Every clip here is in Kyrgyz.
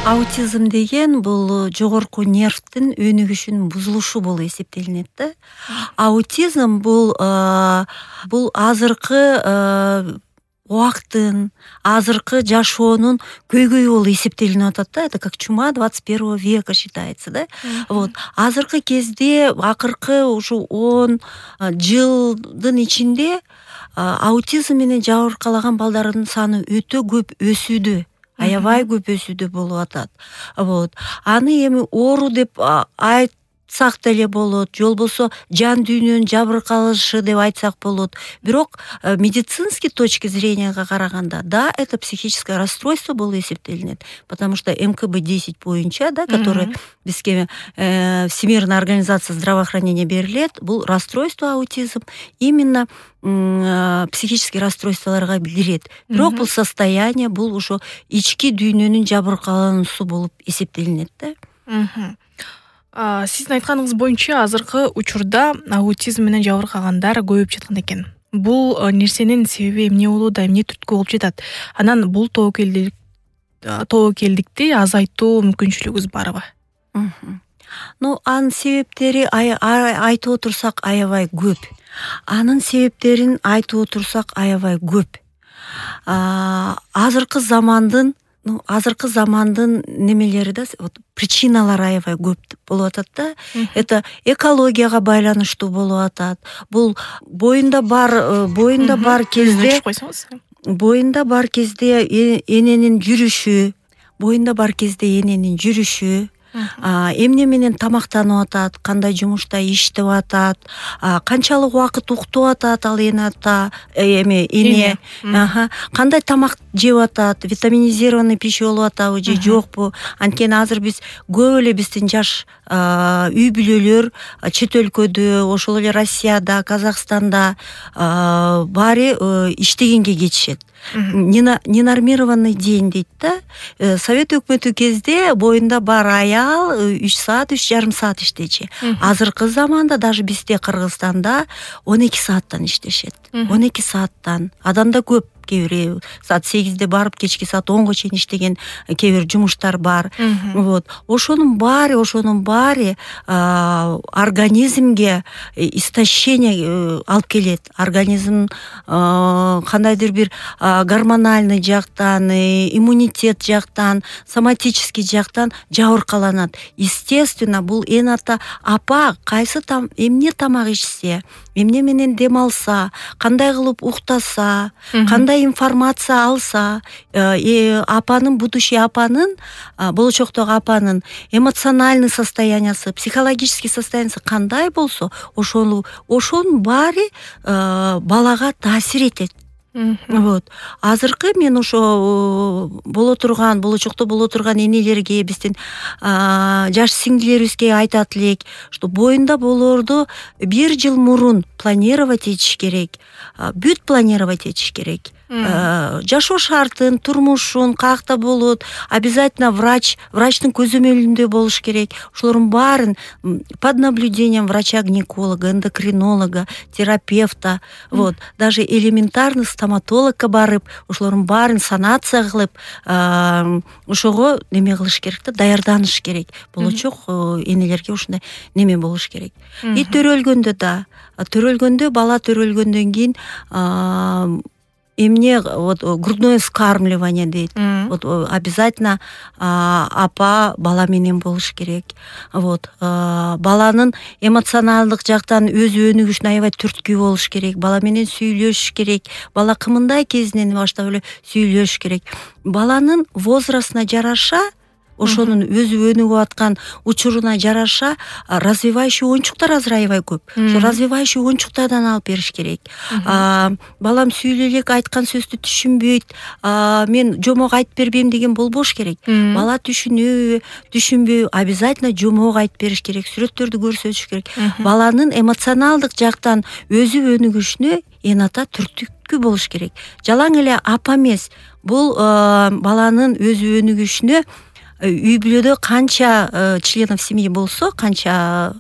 Аутизм деген бул жогорку нервтин өнүгүшүнүн бузулушу болуп эсептелинет да. Аутизм бул азыркы убакыттын, азыркы жашоонун көйгөйү болуп эсептелинип атат да. Это как чума 21 века считается, да. Вот. Азыркы кезде акыркы ушу 10 жылдын ичинде аутизм менен жабыркалаган балдардын саны өтө көп өсүүдө. Аябай көп өсүүдө болуп атат. Вот. Аны эми оору деп айтсак деле болот, же болбосо жан дүйнөнүн жабыркалышы деп айтсак болот. Бирок медицинский точки зренияга караганда, да, это психическое расстройство болуп эсептелинет, потому что МКБ-10 боюнча, да, который бизге Всемирная организация здравоохранения берилет, бул расстройство аутизм именно психический расстройстволорго кирет. Бирок бул состояние, бул ошо ички дүйнөнүн жабыркалануусу болуп эсептелинет да. Сиздин айтканыңыз боюнча азыркы учурда аутизм менен жабыркагандар көбөйүп жаткан экен. Бул нерсенин себеби эмне болууда, эмне түрткү болуп жатат? Анан бул тобокелдикти азайтуу мүмкүнчүлүгүбүз барбы? Анын себептери айтып отурсак аябай көп. Анын себептерин айтып отурсак аябай көп. Азыркы замандын немелери да, причиналары аябай көп болуп атат да. Это экологияга байланыштуу болуп атат. Бул боюнда бар кезде эненин жүрүшү, эмне менен тамактанып атат, кандай жумушта иштеп атат, канчалык убакыт уктуп атат ал эне, кандай тамак жеп атат, витаминизированный пища болуп атабы же жокпу. Анткени азыр биз көп эле биздин жаш үй бүлөлөр чет өлкөдө, ошол эле Россияда, Казакстанда баары иштегенге кетишет. Ненормированный день дейт да. Совет өкмөтү кезде боюнда бар аял 3 саат, 3,5 саат иштечи. Азыркы заманда даже бизде Кыргызстанда 12 сааттан иштешет. 12 сааттан. Адамда көп, кээ бир саат 8-де барып, кечки саат 10го чейин иштеген кээ бир жумуштар бар. Вот. Ошонун баары организмге истощение алып келет. Организм кандайдыр бир гормональный жактан, иммунитет жактан, соматический жактан жабыркаланат. Естественно, бул эната апа кайсы эмне тамак ичсе, эмне менен дем алса, кандай кылып уктаса, кандай информация алса, болочоктогу апанын эмоциональный состояниясы, психологический состояниясы кандай болсо, ошонун баары балага таасир этет. Вот. Азыркы мен ошо болочокто боло турган энелерге, биздин жаш сиңдилерибизге айтат элек, что боюнда болоорду 1 жыл мурун планировать этиш керек. Бүт планировать этиш керек. Жашоо шартын, турмушун, каякта болот, обязательно врачтын көзөмөлүндө болуш керек. Ошолордун баарын под наблюдением врача-гинеколога, эндокринолога, терапевта, вот, даже элементарный стоматологко барып, ошолордун баарын санация кылып, ошого неме кылыш керек да, даярданыш керек. Болочок энелерге ушундай неме болуш керек. И төрөлгөндө бала төрөлгөндөн кийин эмне, вот, грудное вскармливание дейт. Вот, обязательно апа бала менен болуш керек. Вот, баланын эмоционалдык жактан өзү өнүгүшүнө аябай түрткү болуш керек. Бала менен сүйлөшүш керек. Бала кымындай кезинен баштап эле сүйлөшүш керек. Баланын возрастына жараша, ошонун өзү өнүгүп аткан учуруна жараша развивающий оюнчуктар азыр аябай көп. Ошо развивающий оюнчуктардан алып бериш керек. Балам сүйлөй элек, айткан сөздү түшүнбөйт, мен жомок айтып бербейм деген болбош керек. Бала түшүнбөй, обязательно жомок айтып бериш керек, сүрөттөрдү көрсөтүш керек. Баланын эмоционалдык жактан өзү өнүгүшүнө эната түрткү болуш керек. Жалаң эле апа эмес, бул баланын өзү өнүгүшүнө үй бүлөдө канча членов семьи болсо, канча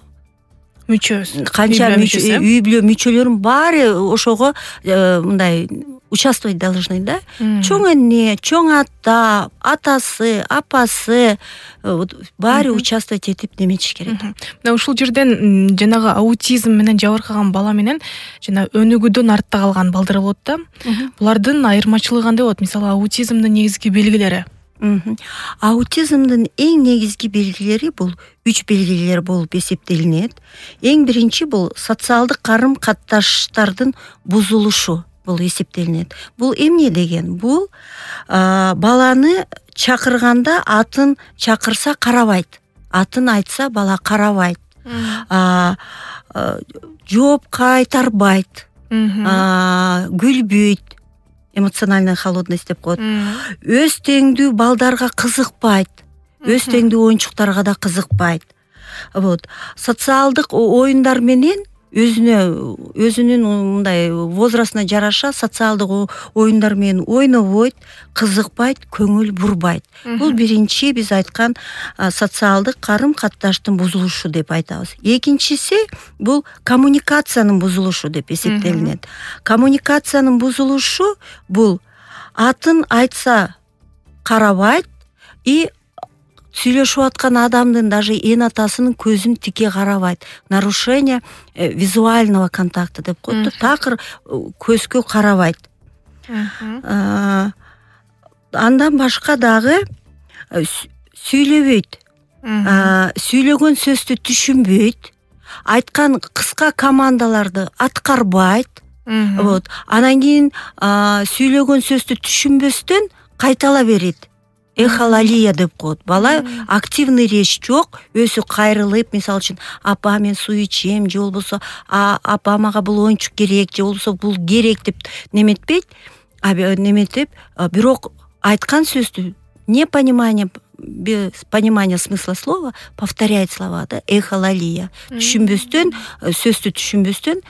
үй бүлө мүчөлөрүнүн баары ошого мындай участвовать должны, да? Чоң эне, чоң ата, атасы, апасы баары участвовать этип неметиш керек. Мына ушул жерден жанагы аутизм менен жабыркаган бала менен жана өнүгүүдөн артта калган балдар болот да. Булардын айырмачылыгы кандай болот? Мисалы аутизмдин негизги белгилери. Аутизмдин эң негизги белгилери бул 3 белгилер болуп эсептелинет. Эң биринчи бул социалдык карым-катташтардын бузулушу бул эсептелинет. Бул эмне деген? Бул баланы чакырганда атын чакырса карабайт. Атын айтса бала карабайт. Жооп кайтарбайт. Күлбөйт. Эмоциональная холодность деп коет. Өз теңдүү балдарга кызыкпайт. Өз теңдүү оюнчуктарга да кызыкпайт. Вот. Социалдык оюндар менен өзүнүн мындай возрастына жараша социалдык оюндар менен ойнобойт, кызыкпайт, көңүл бурбайт. Бул биринчи биз айткан социалдык карым-катташтын бузулушу деп айтабыз. Экинчиси бул коммуникациянын бузулушу деп эсептелинет. Коммуникациянын бузулушу бул атын айтса карабайт и сүйлөшүп аткан адамдын даже эн атасынын көзүн тике карабайт. Нарушение визуального контакта деп коет. Такыр көзгө карабайт. Андан башка дагы сүйлөбөйт. Сүйлөгөн сөздү түшүнбөйт. Айткан кыска командаларды аткарбайт. Вот. Анан кийин сүйлөгөн сөздү түшүнбөстөн кайтала берет. Эхолалия деп коет. Бала активный речь жок, өзү кайрылып, мисалы үчүн апа мен суу ичем, же болбосо апа мага бул оюнчук керек, же болбосо бул керек деп неметпейт, неметип, бирок айткан сөздү без понимания смысла слова повторяет слова, да, эхолалия. Түшүнбөстөн, сөздү түшүнбөстөн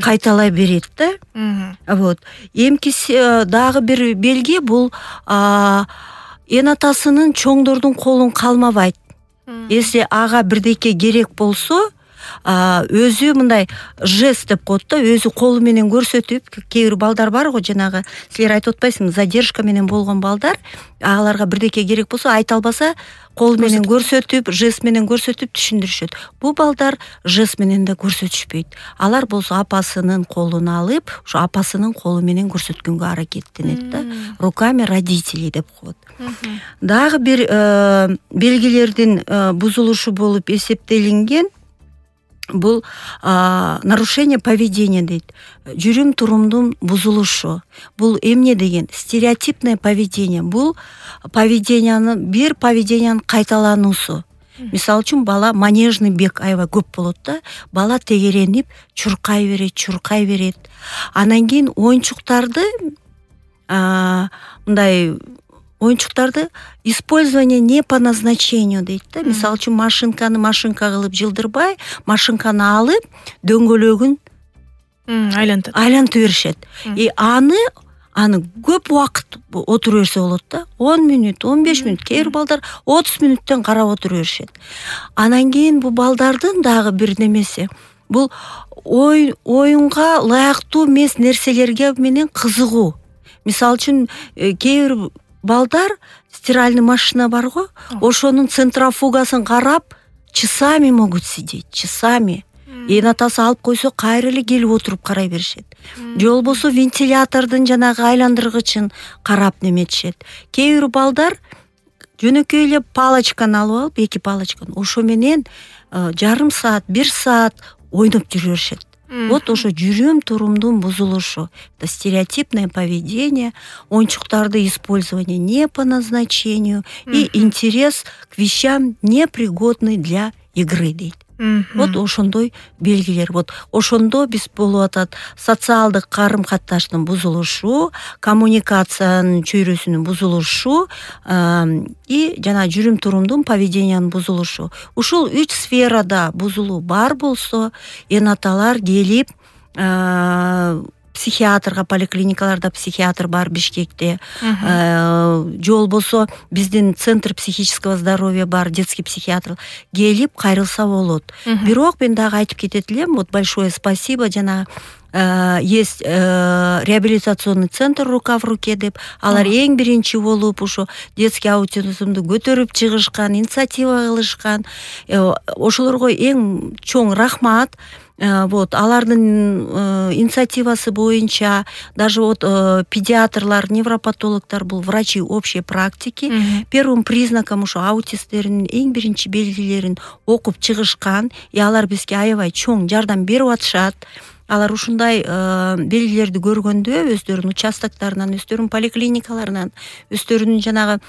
кайталай берет да. Вот. Эмкиси дагы бир белги бул эн атасынын чоңдордун колун калмабайт. Если ага бирдеке керек болсо, өзү мындай жест деп коет да, өзү колу менен көрсөтүп, кээ бир балдар бар го, жанагы силер айтып атпайсыңбы, задержка менен болгон балдар, аларга бирдеке керек болсо айта албаса, кол менен көрсөтүп, жест менен көрсөтүп түшүндүрүшөт. Бул балдар жест менен да көрсөтүшпөйт. Алар болсо апасынын колун алып, ошо апасынын колу менен көрсөткөнгө аракеттенет да. Руками родителей деп коет. Дагы бир белгилердин бузулушу болуп эсептелинген бул нарушение поведения дейт. Жүрүм турумдун бузулушу. Бул эмне деген? Стереотипное поведение. Бул бир поведениянын кайталануусу. Мисалы үчүн бала манежный бег аябай көп болот да. Бала тегеренип, чуркай берет. Анан кийин оюнчуктарды мындай оюнчуктарды использование не по назначению дейт да. Мисалы үчүн машинка кылып жылдырбай, машинканы алып, дөңгөлөгүн айлантып беришет. И аны көп убакыт отура берсе болот да. 10 мүнөт, 15 мүнөт, кээ бир балдар 30 мүнөттөн карап отура беришет. Анан кийин бул балдардын дагы бир немеси, бул оюнга ылайыктуу эмес нерселерге менен кызыгуу. Мисалы үчүн кээ бир балдар стиральный машина бар го, ошонун центрофугасын карап, часами могут сидеть, часами. Эн атасы алып койсо кайра эле келип отуруп карай беришет. Же болбосо вентилятордун жанагы айландыргычын карап неметишет. Кээ бир балдар жөнөкөй эле палочканы алып алып, 2 палочканы, ошо менен жарым саат, 1 саат ойноп жүрө беришет. Вот ошо жүрүм турумдун бузулушу. Это стереотипное поведение, оюнчуктарды использование не по назначению и интерес к вещам непригодный для игры дейт. Вот ошондой белгилер. Вот ошондо биз болуп атат социалдык карым-катташтын бузулушу, коммуникациянын чөйрөсүнүн бузулушу и жана жүрүм турумдун поведениянын бузулушу. Ушул 3 сферада бузулуу бар болсо, эн аталар келип психиатрга, поликлиникаларда психиатр бар Бишкекте, же болбосо биздин центр психического здоровья бар, детский психиатр, келип кайрылса болот. Бирок мен дагы айтып кетет элем, вот большое спасибо, жана есть реабилитационный центр «Рука в руке» деп, алар эң биринчи болуп ушу детский аутизмду көтөрүп чыгышкан, инициатива кылышкан. Ошолорго эң чоң рахмат. Вот, алардын инициативасы боюнча даже вот педиатрлар, невропатологдор, бул врачи общей практики первым признаком ушу аутисттердин эң биринчи белгилерин окуп чыгышкан, и алар бизге аябай чоң жардам берип атышат. Алар ушундай белгилерди көргөндө өздөрүнүн участоктарынан, өздөрүнүн поликлиникаларынан, өздөрүнүн жанагы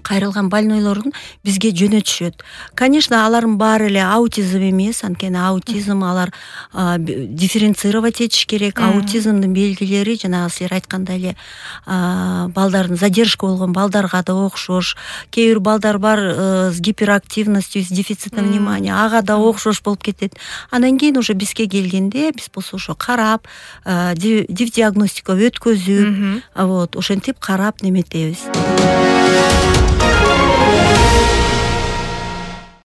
кайрылган больнойлорун бизге жөнөтүшөт. Конечно, алардын баары эле аутизм эмес, анткени аутизм алар дифференцировать этиш керек. Аутизмдин белгилери жанагы силер айткандай эле балдардын задержка болгон балдарга да окшош. Кээ бир балдар бар с гиперактивностью, с дефицитом внимания, ага да окшош болуп кетет. Андан кийин уже бизге келгенде биз болсо ошо карап, диагностика өткөзүп, вот ошентип карап неметебиз.